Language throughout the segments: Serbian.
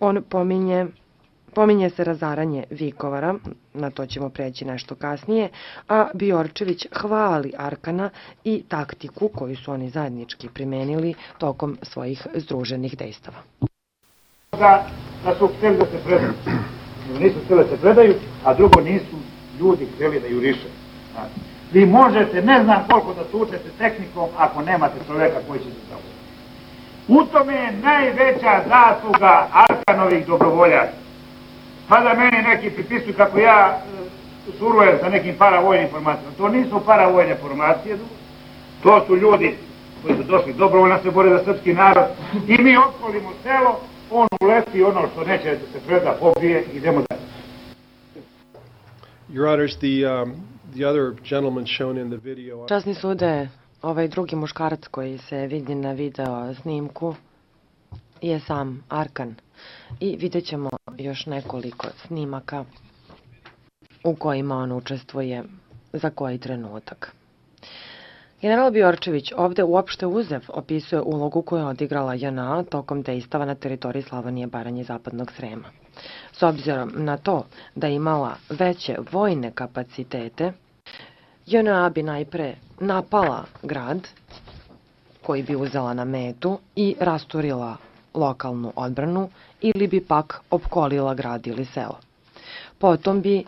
On pominje se razaranje Vikovara, na to ćemo preći nešto kasnije, a Bjorčević hvali Arkana i taktiku koju su oni zajednički primenili tokom svojih združenih dejstava. Da su htjeli da se predaju. Nisu htjeli da se predaju, a drugo nisu ljudi htjeli da juriše. Vi možete, ne znam koliko da tučete tehnikom ako nemate čoveka koji će se zavoliti. U tome je najveća zasluga Arkanovih dobrovoljaca. Pa da meni neki pripisuju kako ja surujem sa nekim paravojnim formacijama. To nisu paravojne formacije, to su ljudi koji su došli dobrovoljno se bore za srpski narod i mi opkolimo selo, on uleti ono što neće da se preda, pobije i idemo dalje. Your Honors, the other gentleman shown in the video... Časni sude, ovaj drugi muškarac koji se vidi na video snimku je sam Arkan. I vidjet ćemo još nekoliko snimaka u kojima on učestvuje za koji trenutak. General Bjorčević ovde uopšte uzev opisuje ulogu koju je odigrala JNA tokom dejstava na teritoriji Slavonije, Baranje i Zapadnog Srema. S obzirom na to da je imala veće vojne kapacitete, JNA bi najpre napala grad koji bi uzela na metu i rasturila lokalnu odbranu ili bi pak opkolila grad ili selo. Potom bi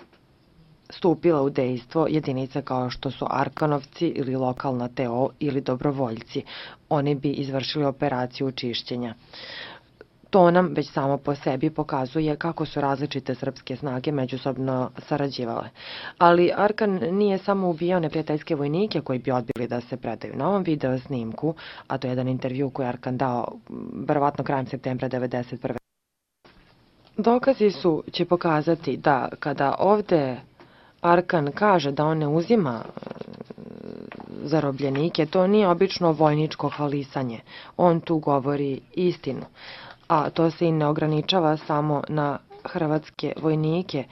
stupila u dejstvo jedinice kao što su Arkanovci ili lokalna TO ili dobrovoljci. Oni bi izvršili operaciju čišćenja. To nam već samo po sebi pokazuje kako su različite srpske snage međusobno sarađivale. Ali Arkan nije samo ubijao neprijateljske vojnike koji bi odbili da se predaju. Na ovom video snimku, a to je jedan intervju koji je Arkan dao verovatno krajem septembra 1991. Dokazi će pokazati da kada ovde Arkan kaže da on ne uzima zarobljenike, to nije obično vojničko hvalisanje. On tu govori istinu. A to se i ne ograničava samo na hrvatske vojnike.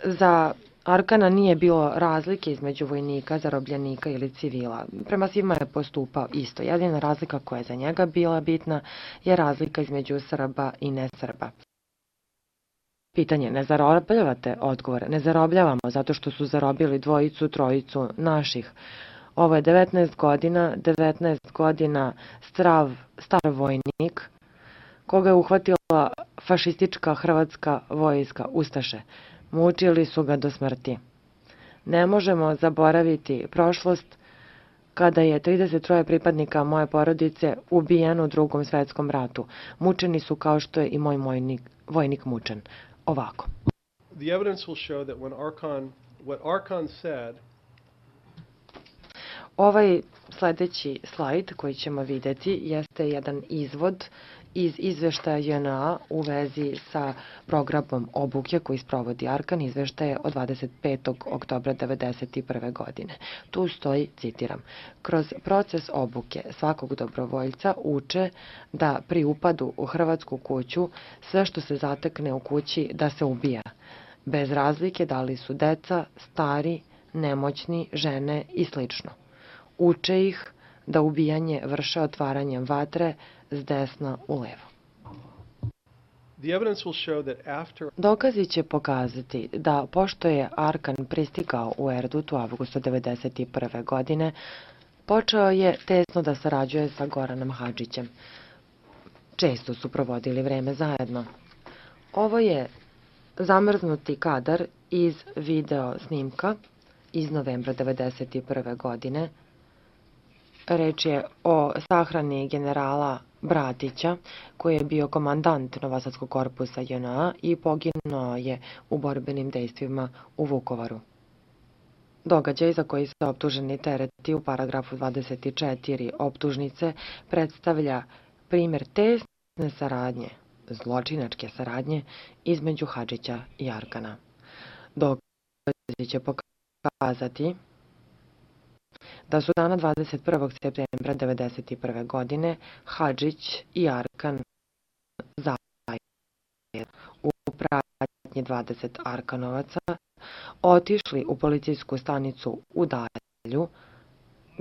Za Arkana nije bilo razlike između vojnika, zarobljenika ili civila. Prema svima je postupao isto. Jedina razlika koja je za njega bila bitna je razlika između Srba i nesrba. Pitanje, ne zarobljavate? Odgovor, ne zarobljavamo zato što su zarobili dvojicu, trojicu naših. Ovo je 19 godina star vojnik koga je uhvatila fašistička hrvatska vojska, ustaše. Mučili su ga do smrti. Ne možemo zaboraviti prošlost kada je 33 pripadnika moje porodice ubijeno u Drugom svetskom ratu. Mučeni su kao što je i moj vojnik mučen. Ovako. The evidence will show that what Arkan said. Ovaj sledeći slajd koji ćemo videti jeste jedan izvod iz izveštaja JNA u vezi sa programom obuke koji sprovodi Arkan, izveštaje od 25. oktobra 1991. godine. Tu stoji, citiram, kroz proces obuke svakog dobrovoljca uče da pri upadu u hrvatsku kuću sve što se zatekne u kući da se ubija, bez razlike da li su deca, stari, nemoćni, žene i slično. Uče ih da ubijanje vrše otvaranjem vatre s desna u levo. Dokazi će pokazati da pošto je Arkan pristigao u Erdut u avgustu 1991. godine, počeo je tesno da sarađuje sa Goranom Hadžićem. Često su provodili vreme zajedno. Ovo je zamrznuti kadar iz video snimka iz novembra 1991. godine. Reč je o sahrani generala Bratića, koji je bio komandant Novosadskog korpusa JNA i poginuo je u borbenim dejstvima u Vukovaru. Događaj za koji se optuženi tereti u paragrafu 24 optužnice predstavlja primjer tesne saradnje, zločinačke saradnje između Hadžića i Arkana. Dokazi će pokazati da su dana 21. septembra 1991. godine Hadžić i Arkan zajedno u pratnji 20 Arkanovaca otišli u policijsku stanicu u Dalju,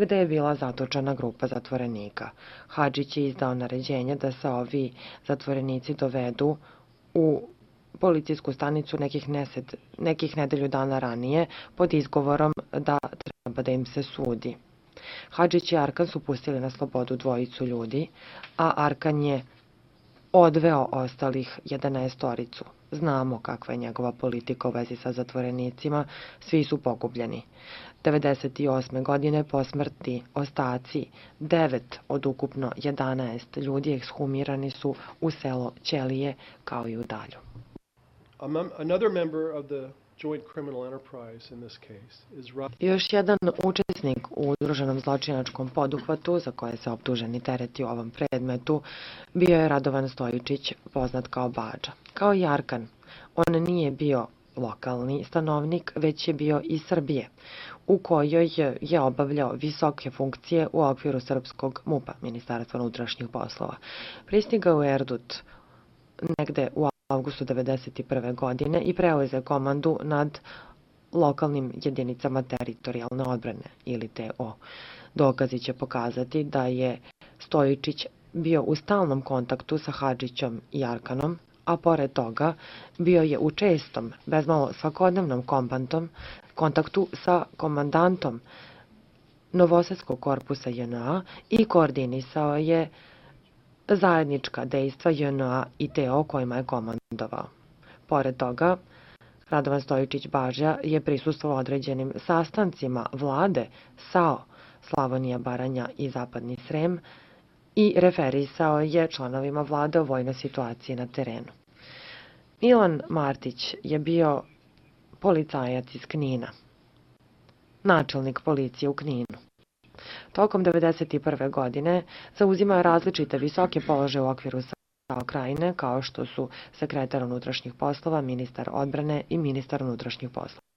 gde je bila zatočena grupa zatvorenika. Hadžić je izdao naređenje da se ovi zatvorenici dovedu u policijsku stanicu nekih nedelju dana ranije pod izgovorom da treba da im se sudi. Hadžić i Arkan su pustili na slobodu dvojicu ljudi, a Arkan je odveo ostalih 11-oricu. Znamo kakva je njegova politika u vezi sa zatvorenicima, svi su pogubljeni. 98. godine po smrti ostaci 9 od ukupno 11 ljudi ekshumirani su u selo Ćelije kao i u Dalju. Another member of the joint criminal enterprise in this case is Još jedan učesnik u udruženom zločinačkom poduhvatu za koje se optuženi tereti u ovom predmetu bio je Radovan Stojičić, poznat kao Badža. Kao i Arkan, on nije bio lokalni stanovnik, već je bio iz Srbije, u kojoj je obavljao visoke funkcije u okviru srpskog MUP-a, Ministarstva unutrašnjih poslova. Pristigao u Erdut negde u avgustu 1991. godine i preuzeo komandu nad lokalnim jedinicama teritorijalne odbrane, ili TO. Dokazi će pokazati da je Stojičić bio u stalnom kontaktu sa Hadžićom i Arkanom, a pored toga bio je u čestom, bezmalo svakodnevnom kontaktu sa komandantom Novosadskog korpusa JNA i koordinisao je zajednička dejstva JNA i TO kojima je komandovao. Pored toga, Radovan Stojičić Baža je prisustvovao određenim sastancima vlade SAO, Slavonija, Baranja i Zapadni Srem, i referisao je članovima vlade o vojnoj situaciji na terenu. Milan Martić je bio policajac iz Knina, načelnik policije u Kninu. Tokom 1991. godine zauzimao različite visoke položaje u okviru SAO Krajine, kao što su sekretar unutrašnjih poslova, ministar odbrane i ministar unutrašnjih poslova.